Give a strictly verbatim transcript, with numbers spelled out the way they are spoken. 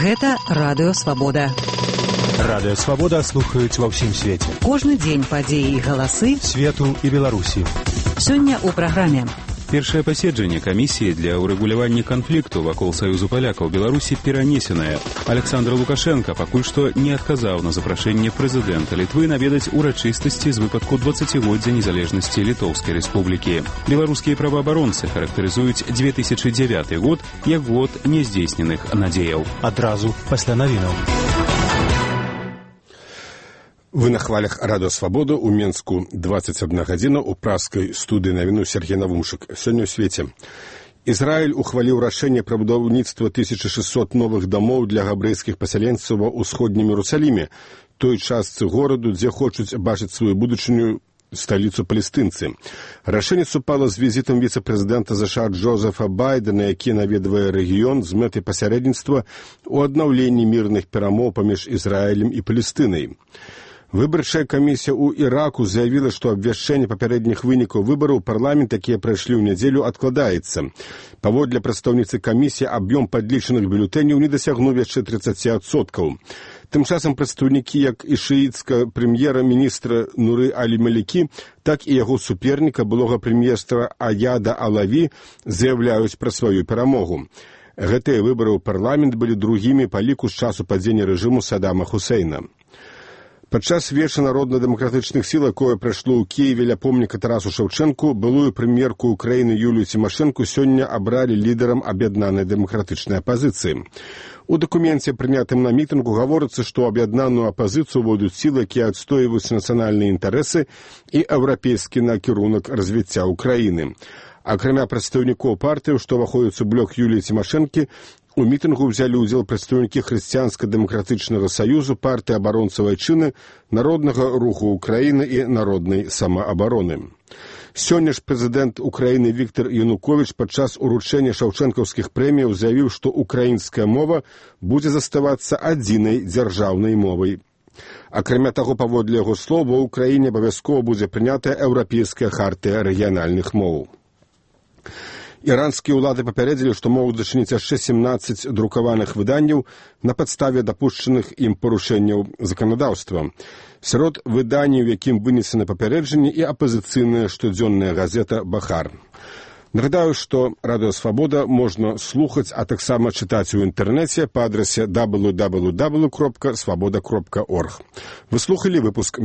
Гэта Радыё Свабода. Радыё Свабода слухаюць ва ўсім свеце. Кожны дзень падзеі і галасы свету і Беларусі. Сёння ў праграме. Першае паседжанне камісіі для ўрэгулявання канфлікту вакол Саюзу палякаў Беларусі перанесенае. Александр Лукашенко пакуль што не адказаў на запрашэнне прэзідэнта Літвы наведаць урачыстасці з выпадку дваццацігоддзя незалежнасці Літоўскай рэспублікі. Беларускія праваабаронцы характарызуюць две тысячы дзявяты год як год няздзейсненых надзеяў. Адразу пасля навінаў. Вы на хвалях Радыё Свабода у Менску двадцать одна гадзіна у праскай студыі навіну Сергей Навумшык. Сёння ў свеце. Ізраіль ухваліў рашэнне пра будаўніцтва тысяча шэсцьсот новых дамоў для габрэйскіх пасяленцаў ва ўсходнім Іерусаліме, той частцы гораду, дзе хочуць бачыць сваю будучыню сталіцу палестынцы. Рашэнне супала з візітам віцэ-прэзідэнта ЗША Джозефа Байдена, які наведвае рэгіён з мэтай пасярэдніцтва ў аднаўленні мірных перамоў паміж Ізраілем і Палестынай. Выбарчая камісія ў Іраку заявіла, што абвяшчэнне папярэдніх вынікаў выбараў парламент, якія прайшлі ў нядзелю, адкладаецца. Паводле прадстаўніцы камісіі, аб'ём падлічаных бюлетэняў не дасягнуў яшчэ тридцать адсоткаў. Тым часам прадстаўнікі як і шыіцка прэм'ера-міністра Нуры Алі-Малікі, так і яго суперніка, былога прэм'ерства Аяда Алаві, заяўляюць пра сваю перамогу. Гэтыя выбары ў парламент былі другімі па ліку з часу падзення рэжыму Саддама Хусейна. Падчас веча народна-дэмакратычных сіл, якое прайшло ў Кіеве ля помніка Тарасу Шаўчэнку, былую прэм'ерку Украіны Юлію Цімашэнку сёння абралі лідарам аб'яднанай дэмакратычнай апазіцыі. У дакуменце, прынятым на мітынгу, гаворыцца, што аб'яднаную апазіцыю ўвойдуць сілы, якія адстойваюць нацыянальныя інтарэсы і еўрапейскі накірунак развіцця ўкраіны. Акрамя прадстаўнікоў партыяў, што ўваходзяць у блок Юліі Цімашэнкі, у мітынгу ўзялі ўдзел прадстаўнікі Хрысціянска-дэмакратычнага саюзу, партыі абаронцаў айчыны, Народнага руху Украіны і Народнай самаабароны. Сёння ж прэзідэнт Украіны Віктар Януковіч падчас уручэння шаўчэнкаўскіх прэміяў заявіў, што украінская мова будзе заставацца адзінай дзяржаўнай мовай. Акрамя таго, паводле яго слоў, ва ўкраіне абавязкова будзе прынятая еўрапейская хартыя рэгіянальных моў. Іранскія ўлады папярэдзілі, што могуць зачыніць яшчэ сямнаццаць друкаваных выданняў на падставе дапушчаных ім парушэнняў заканадаўства. Сярод выданняў, якім вынесены папярэджанні, і апазіцыйная штодзённая газета «Бахар». Нагадаю, што Радыё Свабода можна слухаць, а таксама чытаць у інтэрнэце па адрасе дабл ю дабл ю дабл ю кропка свабода кропка орг. Вы слухалі выпуск